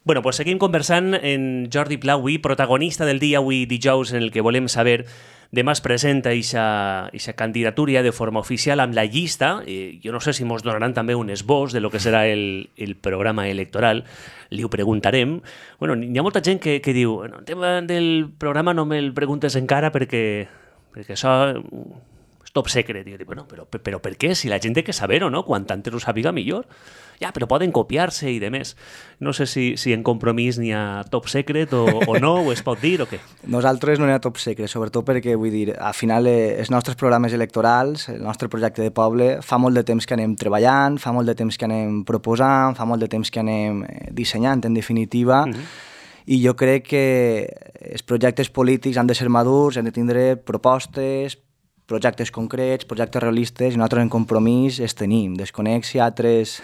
Bueno, pues seguim conversant en Jordi Pla avui, protagonista del dia avui dijous, en el que volem saber demà es presenta eixa candidatura de forma oficial amb la llista. Jo no sé si ens donaran també un esbós de lo que serà el programa electoral. Li ho preguntarem. Bueno, hi ha molta gent que diu el tema del programa no me'l preguntes encara perquè això és top secret. I jo dic, bueno, però per què? Si la gent té que saber-ho, no? Quan antes ho sàpiga, millor. Ja, però poden copiar-se i demés. No sé si en Compromís n'hi ha top secret o no, o es pot dir o què. Nosaltres no n'hi ha top secret, sobretot perquè, vull dir, al final els nostres programes electorals, el nostre projecte de poble, fa molt de temps que anem treballant, fa molt de temps que anem proposant, fa molt de temps que anem dissenyant, en definitiva, i jo crec que els projectes polítics han de ser madurs, han de tindre propostes, projectes concrets, projectes realistes, i nosaltres en Compromís els tenim. Desconec si altres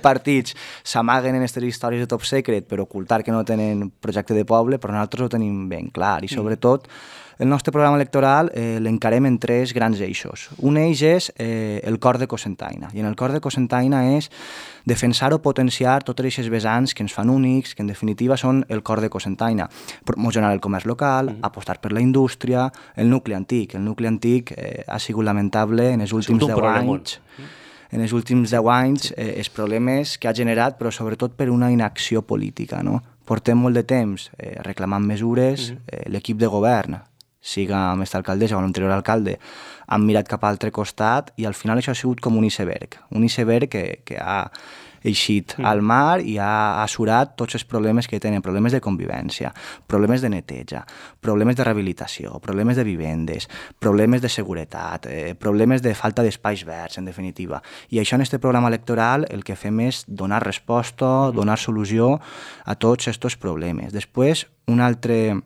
partits s'amaguen en aquestes històries de top secret per ocultar que no tenen projecte de poble, però nosaltres ho tenim ben clar, i sobretot el nostre programa electoral l'encarem en tres grans eixos. Un eix és el cor de Cocentaina, i en el cor de Cocentaina és defensar o potenciar tots aquests vessants que ens fan únics, que en definitiva són el cor de Cocentaina. Promocionar el comerç local, apostar per la indústria, el nucli antic. El nucli antic ha sigut lamentable en els últims 10 anys. En els últims 10 anys, els problemes que ha generat, però sobretot per una inacció política, no? Portem molt de temps reclamant mesures, l'equip de govern, siga amb aquesta alcaldessa o l'anterior alcalde, han mirat cap a l'altre costat i al final això ha sigut com un iceberg que ha eixit al mar i ha assurat tots els problemes que tenen, problemes de convivència, problemes de neteja, problemes de rehabilitació, problemes de vivendes, problemes de seguretat, problemes de falta d'espais verds, en definitiva. I això en aquest programa electoral el que fem és donar resposta, donar solució a tots aquests problemes. Després, un altre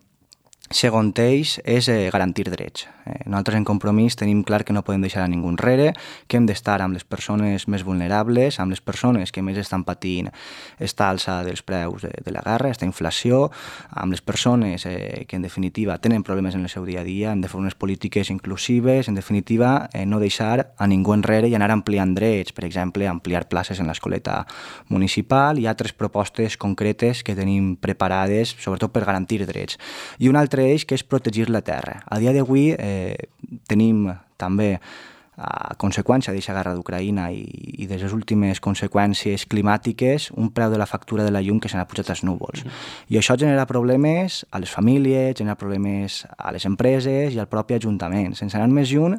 segon eix és garantir drets. Nosaltres en Compromís tenim clar que no podem deixar a ningú enrere, que hem d'estar amb les persones més vulnerables, amb les persones que més estan patint esta alça dels preus de la guerra, esta inflació, amb les persones que en definitiva tenen problemes en el seu dia a dia, hem de fer unes polítiques inclusives, en definitiva no deixar a ningú enrere i anar ampliant drets, per exemple, ampliar places en l'escoleta municipal i altres propostes concretes que tenim preparades, sobretot per garantir drets. I un altre eix que és protegir la terra. A dia d'avui tenim també, a conseqüència d'aquesta guerra d'Ucraïna i de les últimes conseqüències climàtiques, un preu de la factura de la llum que se n'ha pujat als núvols. I això genera problemes a les famílies, genera problemes a les empreses i al propi ajuntament. Sense anar més lluny,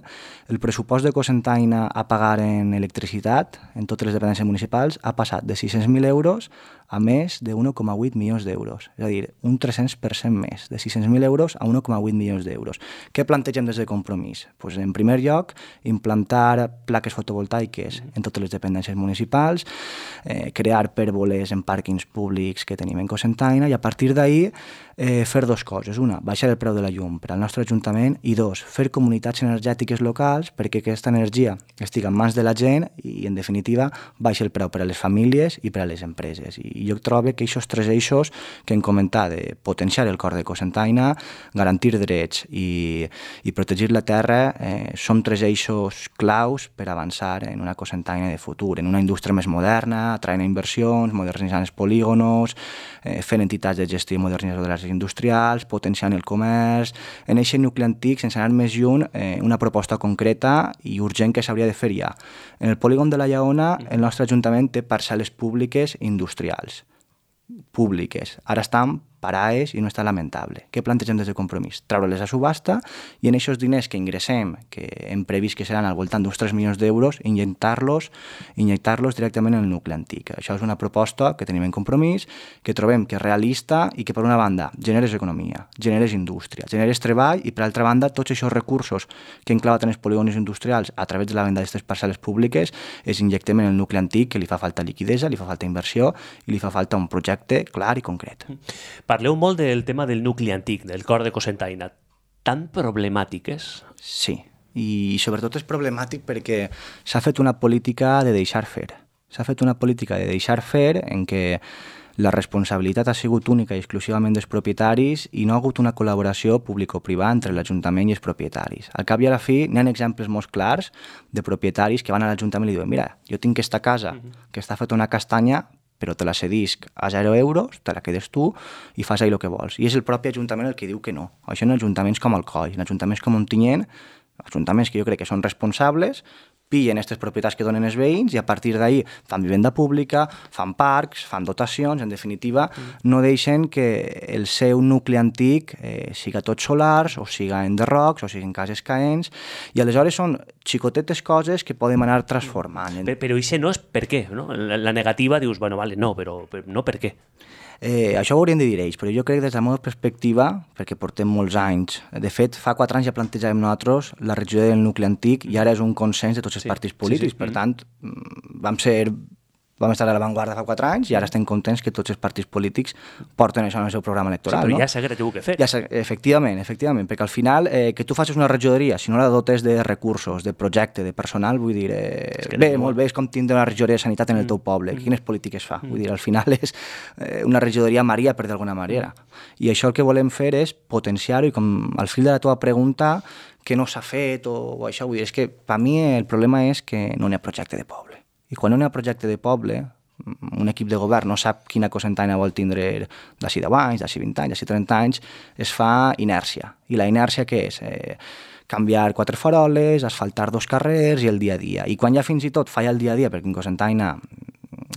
el pressupost de Cocentaina a pagar en electricitat, en totes les dependències municipals, ha passat de 600.000 euros a més de 1,8 milions d'euros. És a dir, un 300% més, de 600.000 euros a 1,8 milions d'euros. Què plantegem des de Compromís? Pues, en primer lloc, implantar plaques fotovoltaiques en totes les dependències municipals, crear pèrboles en pàrquings públics que tenim en Cocentaina i a partir d'ahir fer dues coses. Una, baixar el preu de la llum per al nostre ajuntament i dos, fer comunitats energètiques locals perquè aquesta energia estigui en mans de la gent i, en definitiva, baixi el preu per a les famílies i per a les empreses. I jo trobo que aquests tres eixos que hem comentat, de potenciar el cor de Cocentaina, garantir drets i protegir la terra, són tres eixos claus per avançar en una Cocentaina de futur, en una indústria més moderna, atraient inversions, modernitzant els polígonos, fent entitats de gestió i modernització de les industrials, potenciant el comerç, en aquest nucli antic, sense anar més lluny, una proposta concreta i urgent que s'hauria de fer ja. En el polígon de la Lleona, el nostre ajuntament té parcel·les públiques industrials. Ara estan parades i no està lamentable. Què plantegem des de Compromís? Treure-les a subhasta i en aquests diners que ingressem, que hem previst que seran al voltant d'uns 3 milions d'euros, injectar-los directament en el nucli antic. Això és una proposta que tenim en Compromís, que trobem que és realista i que, per una banda, generes economia, generes indústria, generes treball i, per altra banda, tots aquests recursos que hem clavat en els polígons industrials a través de la venda d'aquestes parcel·les públiques els injectem en el nucli antic, que li fa falta liquidesa, li fa falta inversió i li fa falta un projecte clar i concret. Parleu molt del tema del nucli antic, del cor de Cocentaina. Tan problemàtic és? Sí, i sobretot és problemàtic perquè s'ha fet una política de deixar fer. S'ha fet una política de deixar fer en què la responsabilitat ha sigut única i exclusivament dels propietaris i no ha hagut una col·laboració público-privada entre l'Ajuntament i els propietaris. Al cap i a la fi, n'hi ha exemples molt clars de propietaris que van a l'Ajuntament i li diuen: mira, jo tinc aquesta casa que està feta una castanya, però te la cedisc a 0 euros, te la quedes tu i fas ahí el que vols. I és el propi Ajuntament el que diu que no. Això en ajuntaments com Alcoi, en ajuntaments com Ontinyent, ajuntaments que jo crec que són responsables, pillen aquestes propietats que donen els veïns i a partir d'ahir fan vivenda pública, fan parcs, fan dotacions, en definitiva, no deixen que el seu nucli antic siga tot solars, o siga enderrocs, o siguin cases caents, i aleshores són xicotetes coses que podem anar transformant. Però això no és per què, no? La negativa dius, bueno, vale, no, però no per què. Això ho hauríem de dir ells, però jo crec que des de la meva perspectiva, perquè portem molts anys, de fet, fa 4 anys ja plantejàvem nosaltres la regió del nucli antic i ara és un consens de tots els partits polítics, per tant, vam estar a l'avantguarda fa 4 anys i ara estem contents que tots els partits polítics porten això en el seu programa electoral. Sí, però ja s'hagués tingut que fer. Efectivament, perquè al final que tu facis una regidoria, si no la dotes de recursos, de projecte, de personal, vull dir, molt bé, és com tindre una regidoria de sanitat en el teu poble, quines polítiques fa? Vull dir, al final és una regidoria Maria, per d'alguna manera. I això el que volem fer és potenciar-ho i com al fil de la teva pregunta, que no s'ha fet o això, vull dir, és que per mi el problema és que no n'hi ha projecte de poble. I quan no hi ha projecte de poble, un equip de govern no sap quina cosentaina vol tindre d'ací 10 anys, d'ací 20 anys, d'ací 30 anys, es fa inèrcia. I la inèrcia què és? Canviar 4 faroles, asfaltar 2 carrers i el dia a dia. I quan ja fins i tot falla el dia a dia, perquè en cosentaina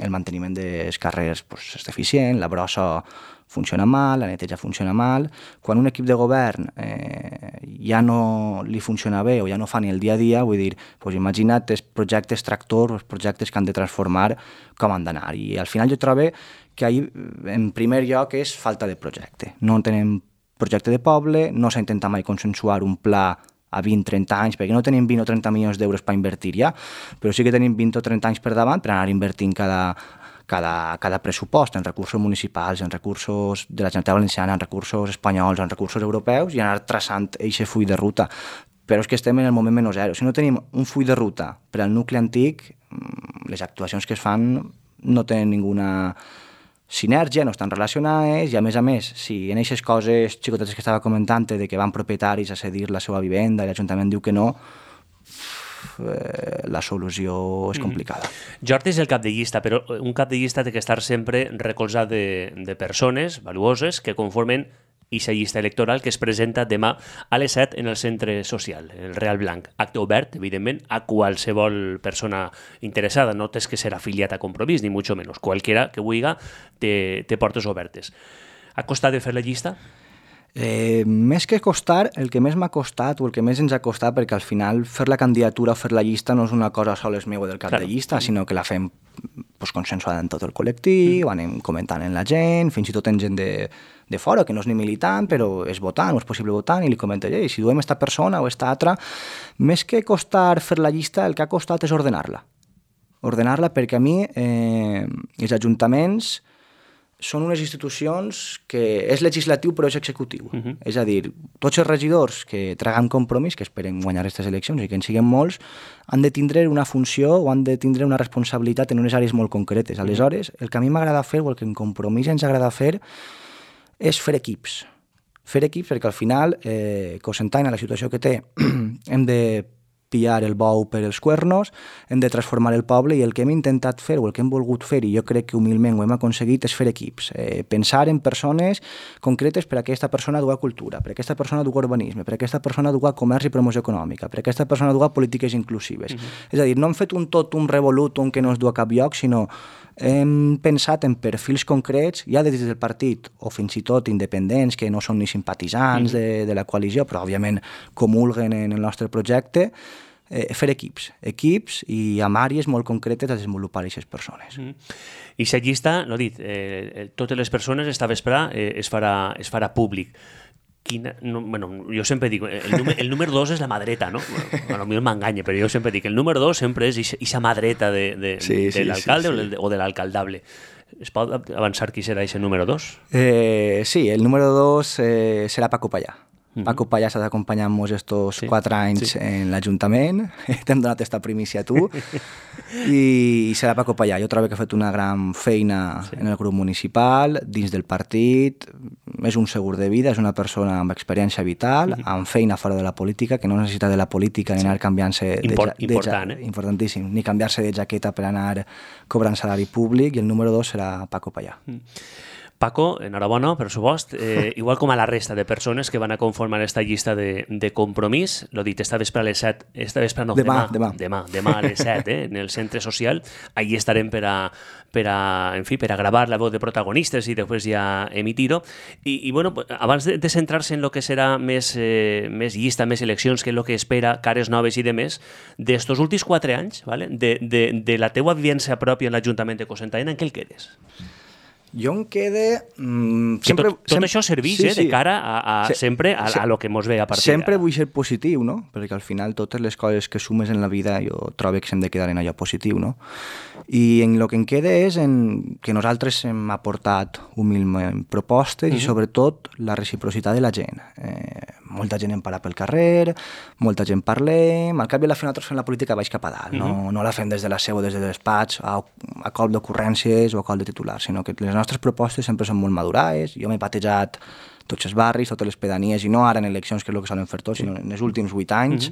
el manteniment dels carrers és deficient, la brossa funciona mal, la neteja funciona mal. Quan un equip de govern ja no li funciona bé o ja no fa ni el dia a dia, vull dir, imagina't els projectes tractors, els projectes que han de transformar, com han d'anar. I al final jo trobo que ahir, en primer lloc, és falta de projecte. No tenim projecte de poble, no s'ha intentat mai consensuar un pla a 20-30 anys, perquè no tenim 20 o 30 milions d'euros per invertir ja, però sí que tenim 20 o 30 anys per davant per anar invertint cada pressupost en recursos municipals, en recursos de la Generalitat Valenciana, en recursos espanyols, en recursos europeus i anar traçant aquest full de ruta. Però és que estem en el moment menys zero. Si no tenim un full de ruta per al nucli antic, les actuacions que es fan no tenen ninguna sinergia, no estan relacionades i, a més, si en aquestes coses xicotetes que estava comentant de que van propietaris a cedir la seva vivenda i l'Ajuntament diu que no, la solució és complicada. Jordi és el cap de llista, però un cap de llista té que estar sempre recolzat de persones valuoses que conformen aquesta llista electoral que es presenta demà a les 7 en el centre social, el Real Blanc. Acte obert, evidentment, a qualsevol persona interessada. No tens que ser afiliat a Compromís, ni mucho menos. Qualquiera que vulgui té portes obertes. Ha costat de fer la llista? Més que costar, el que més m'ha costat o el que més ens ha costat, perquè al final fer la candidatura o fer la llista no és una cosa sols meva del cap de llista, sinó que la fem consensuada en tot el col·lectiu, anem comentant en la gent, fins i tot en gent de fora, que no és ni militant, però és votant o és possible votant, i li comenta, si duem esta persona o esta altra, més que costar fer la llista, el que ha costat és ordenar-la. Ordenar-la perquè a mi els ajuntaments són unes institucions que és legislatiu però és executiu. És a dir, tots els regidors que traguen Compromís, que esperen guanyar aquestes eleccions i que en siguin molts, han de tindre una funció o han de tindre una responsabilitat en unes àrees molt concretes. Aleshores, el que a mi m'agrada fer o el que en Compromís ens agrada fer és fer equips. Fer equips perquè al final, Cocentaina, la situació que té, hem de pillar el bou per els cuernos, hem de transformar el poble i el que hem intentat fer o el que hem volgut fer, i jo crec que humilment ho hem aconseguit, és fer equips. Pensar en persones concretes per a aquesta persona duga cultura, per a aquesta persona duga urbanisme, per a aquesta persona duga comerç i promoció econòmica, per a aquesta persona duga polítiques inclusives. És a dir, no hem fet un revolutum que no es du a cap lloc, sinó hem pensat en perfils concrets, ja des del partit o fins i tot independents que no són ni simpatitzants de la coalició, però òbviament comulguen en el nostre projecte, fer equips i amb àrees molt concretes a desenvolupar aquestes persones. I la llista, no he dit, totes les persones esta vespre es farà públic. Jo sempre dic, el número 2 és la mà dreta, no? Potser m'enganya, però jo sempre dic, el número 2 sempre és aquesta mà dreta de l'alcalde o de l'alcaldable. Es pot avançar qui serà aquest número 2? Sí, el número 2 serà Paco Pallà. Paco Pallà s'ha d'acompanyar-nos estos 4 anys en l'Ajuntament, t'hem donat esta primícia a tu, i serà Paco Pallà. Jo trobo que ha fet una gran feina en el grup municipal, dins del partit, és un segur de vida, és una persona amb experiència vital, amb feina fora de la política, que no necessita de la política ni anar canviant-se... Important, Importantíssim, ni canviar-se de jaqueta per anar cobrant salari públic, i el número 2 serà Paco Pallà. Paco, enhorabona, per supost, igual com a la resta de persones que van a conformar aquesta llista de Compromís, l'ho dit, esta vespre a les 7, demà a les 7, en el centre social, allí estarem per a gravar la veu de protagonistes i després ja emitir-ho. I bueno, abans de centrar-se en el que serà més llista, més eleccions, que és el que espera, cares noves i demés, d'estos últims 4 anys, ¿vale? de la teua vivència pròpia en l'Ajuntament de Cocentaina, en què el quedes? Jo em quede... Tot això serveix de cara sempre a lo que mos ve a partir sempre vull ser positiu, no? Perquè al final totes les coses que sumes en la vida jo trobo que s'hem de quedar en allò positiu, no? I en el que em queda és en que nosaltres hem aportat humilment propostes i sobretot la reciprocitat de la gent. Molta gent em para pel carrer, molta gent parlem, al cap i a la fi nosaltres fem la política baix cap a dalt, no la fem des de la seu, des de despatx, a cop d'ocurrències o a cop de titulars, sinó que les nostres propostes sempre són molt madurades. Jo m'he batejat tots els barris, totes les pedanies, i no ara en eleccions, que és el que solen fer tots, sinó en els últims 8 anys,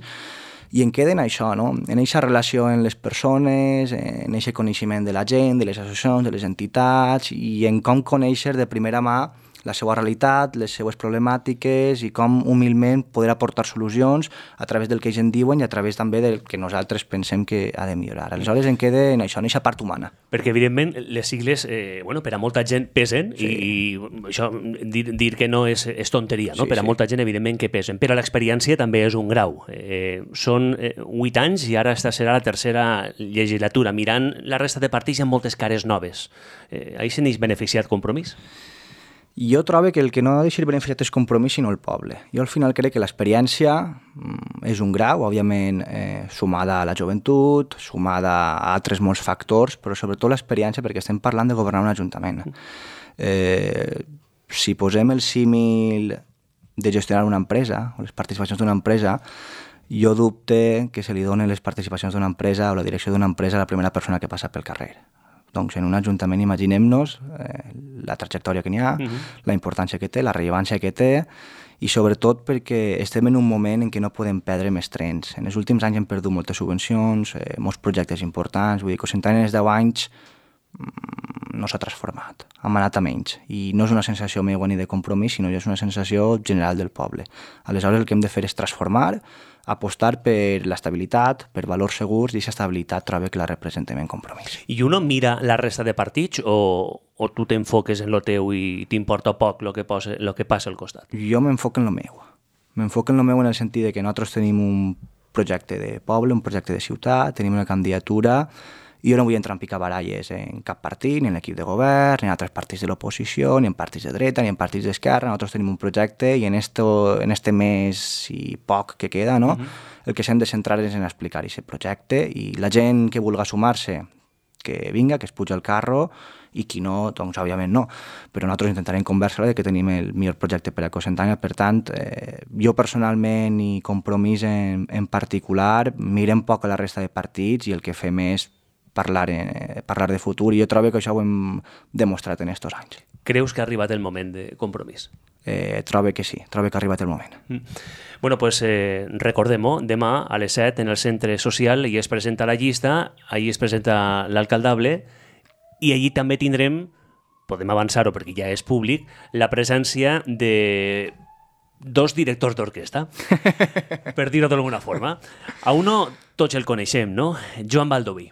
i en queden això, no? En aquesta relació amb les persones, en aquest coneixement de la gent, de les associacions, de les entitats, i en com conèixer de primera mà la seva realitat, les seues problemàtiques i com humilment poder aportar solucions a través del que ells en diuen i a través també del que nosaltres pensem que ha de millorar. Aleshores en queda en això, en aquesta part humana. Perquè evidentment les sigles, per a molta gent pesen, i això dir que no és tonteria, no? Per a molta gent evidentment que pesen, però l'experiència també és un grau. Són 8 anys i ara esta serà la tercera legislatura. Mirant la resta de partits hi ha moltes cares noves. Ahí se n'és beneficiat Compromís? Jo trobo que el que no ha de ser beneficiat és Compromís, sinó el poble. Jo al final crec que l'experiència és un grau, òbviament sumada a la joventut, sumada a altres molts factors, però sobretot l'experiència, perquè estem parlant de governar un ajuntament. Si posem el símil de gestionar una empresa, o les participacions d'una empresa, jo dubte que se li donen les participacions d'una empresa o la direcció d'una empresa a la primera persona que passa pel carrer. Doncs en un ajuntament imaginem-nos la trajectòria que n'hi ha, la importància que té, la rellevància que té, i sobretot perquè estem en un moment en què no podem perdre més trens. En els últims anys hem perdut moltes subvencions, molts projectes importants, vull dir, Cocentaina en els 10 anys no s'ha transformat, hem anat a menys, i no és una sensació meva ni de Compromís, sinó és una sensació general del poble. Aleshores el que hem de fer és transformar, apostar per l'estabilitat, per valors segurs, i aquesta estabilitat trobo que la representem en Compromís. I uno mira la resta de partits o tu t'enfoques en lo teu i t'importa poc lo que passa al costat? Jo m'enfoco en lo meu. M'enfoco en lo meu en el sentit de que nosaltres tenim un projecte de poble, un projecte de ciutat, tenim una candidatura, i jo no vull entrar en picabaralles en cap partit, ni en l'equip de govern, ni en altres partits de l'oposició, ni en partits de dreta, ni en partits d'esquerra. Nosaltres tenim un projecte i en este mes i poc que queda, no? El que s'hem de centrar és en explicar aquest projecte, i la gent que vulgui sumar-se, que vinga, que es puja al carro, i qui no, doncs òbviament no. Però nosaltres intentarem convèrsela de que tenim el millor projecte per a Cocentaina. Per tant, jo personalment i Compromís en particular mirem poc a la resta de partits i el que fem és parlar de futur, i jo trobo que això ho hem demostrat en aquests anys. Creus que ha arribat el moment de Compromís? Trobo que sí, trobo que ha arribat el moment. Bueno, pues recordem-ho, demà a les 7 en el centre social i es presenta la llista, allí es presenta l'alcaldable, i allí també tindrem, podem avançar-ho perquè ja és públic, la presència de 2 directors d'orquestra, per dir-ho d'alguna forma. A uno tots el coneixem, no? Joan Baldoví.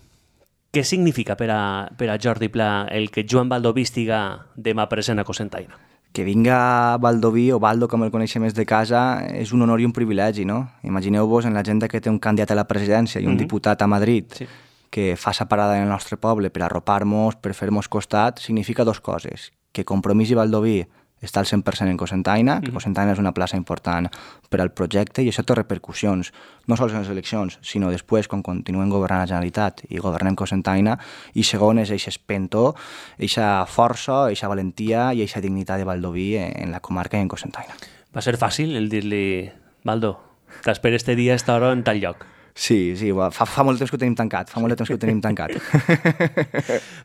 Què significa per a Jordi Pla el que Joan Baldoví estiga demà present a Cocentaina? Que vinga Baldoví, o Baldo com el coneixem més de casa, és un honor i un privilegi, no? Imagineu-vos en l'agenda que té un candidat a la presidència i un diputat a Madrid, que fa sa parada en el nostre poble per arropar-nos, per fer-nos costat, significa 2 coses. Que Compromís i Baldoví està al 100% en Cocentaina, que Cocentaina és una plaça important per al projecte, i això té repercussions, no sols en les eleccions, sinó després, quan continuem governant la Generalitat i governem Cocentaina, i segon és aquest espentó, aquesta força, aquesta valentia i aquesta dignitat de Baldoví en la comarca i en Cocentaina. Va ser fàcil el dir-li, Baldo, t'espero este dia a esta hora en tal lloc? Sí, fa molt temps que ho tenim tancat,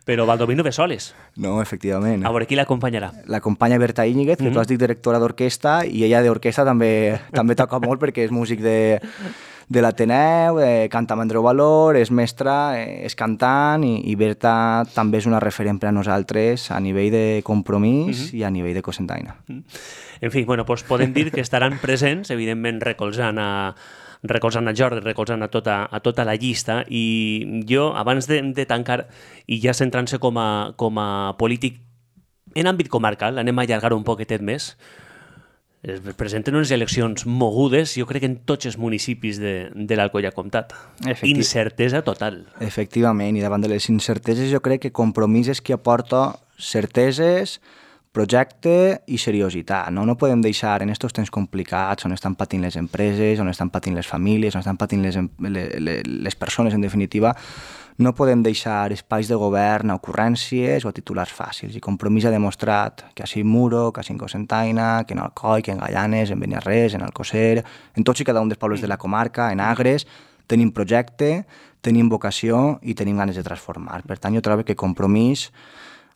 Però Baldoví no ve soles. No, efectivament. A veure, qui l'acompanyarà? L'acompanya Berta Íñiguez, que tu has dit directora d'orquestra, i ella d'orquestra també toca molt perquè és músic de l'Ateneu, canta amb Andreu Valor, és mestra, és cantant, i Berta també és una referent per a nosaltres a nivell de compromís i a nivell de cosentaina. En fi, bueno, doncs podem dir que estaran presents, evidentment recolzant a Jordi, recolzant a tota la llista, i jo, abans de tancar, i ja centrant-se com a polític en àmbit comarcal, anem a allargar un poquetet més, es presenten unes eleccions mogudes, jo crec que en tots els municipis de l'Alcoià Comtat. Incertesa total. Efectivament, i davant de les incerteses jo crec que Compromís és qui aporta certeses, projecte i seriositat. No podem deixar en aquests temps complicats on estan patint les empreses, on estan patint les famílies, on estan patint les persones, en definitiva, no podem deixar espais de govern a ocurrències o a titulars fàcils. I Compromís ha demostrat que a Muro, que a Cocentaina, que en Alcoi, que en Gallanes, en Beniarrés, en Alcocer, en tots i cada un dels pobles de la comarca, en Agres, tenim projecte, tenim vocació i tenim ganes de transformar. Per tant, jo trobo que Compromís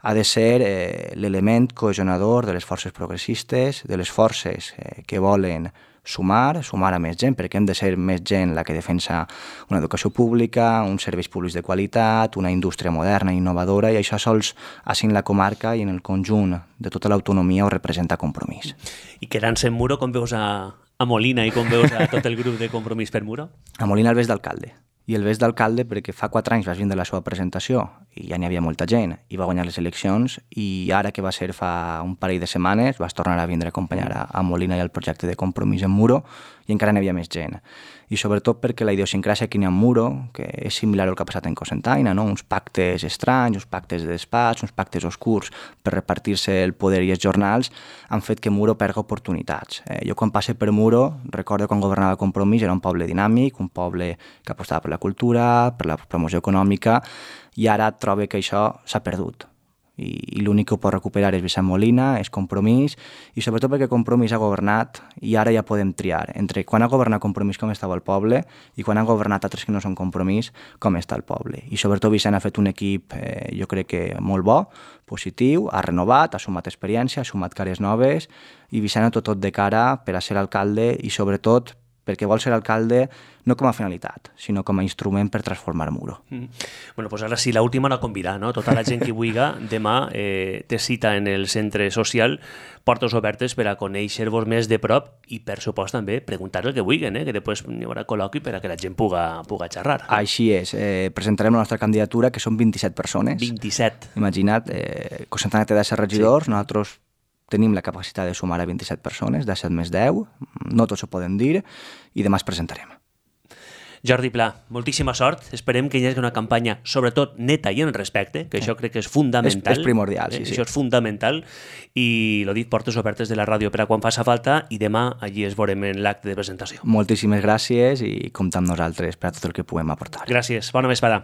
ha de ser l'element cohesionador de les forces progressistes, de les forces que volen sumar a més gent, perquè hem de ser més gent la que defensa una educació pública, uns serveis públics de qualitat, una indústria moderna i innovadora, i això sols així en la comarca i en el conjunt de tota l'autonomia ho representa Compromís. I quedant-se en Muro, com veus a Molina i com veus a tot el grup de Compromís per Muro? A Molina el veig d'alcalde. I el veig d'alcalde perquè fa 4 anys vas vindre la seva presentació i ja n'hi havia molta gent i va guanyar les eleccions, i ara que va ser fa un parell de setmanes vas tornar a vindre a acompanyar a Molina i al projecte de Compromís en Muro, i encara n'hi havia més gent. I sobretot perquè la idiosincràsia que n'hi ha en Muro, que és similar al que ha passat en Cocentaina, no? Uns pactes estranys, uns pactes de despatx, uns pactes oscurs per repartir-se el poder i els jornals, han fet que Muro perga oportunitats. Jo quan passe per Muro, recordo quan governava Compromís, era un poble dinàmic, un poble que apostava per la cultura, per la promoció econòmica, i ara trobo que això s'ha perdut. I l'únic que ho pot recuperar és Vicent Molina, és Compromís, i sobretot perquè Compromís ha governat i ara ja podem triar entre quan ha governat Compromís com estava el poble i quan ha governat altres que no són Compromís com està el poble. I sobretot Vicent ha fet un equip, jo crec que molt bo, positiu, ha renovat, ha sumat experiència, ha sumat cares noves, i Vicent ha tot de cara per a ser alcalde, i sobretot perquè vol ser alcalde no com a finalitat, sinó com a instrument per transformar Muro. Bueno, doncs ara sí, l'última la convidar, no? Tota la gent que vulgui, demà té cita en el centre social, portes obertes per a conèixer-vos més de prop i, per supost, també preguntar el que vulguin, que després hi haurà col·loqui per a que la gent puga xerrar. Així és. Presentarem la nostra candidatura, que són 27 persones. 27. Imagina't, Cocentaina té 10 regidors, nosaltres tenim la capacitat de sumar a 27 persones, 17 més 10, no tots ho podem dir, i demà es presentarem. Jordi Pla, moltíssima sort. Esperem que hi hagi una campanya, sobretot neta i en respecte, que això crec que és fundamental. És primordial, sí. Això és fundamental. I, lo dit, portes obertes de la ràdio per a quan faci falta, i demà allí es veurem en l'acte de presentació. Moltíssimes gràcies i compta amb nosaltres per a tot el que puguem aportar. Gràcies. Bona vesprada.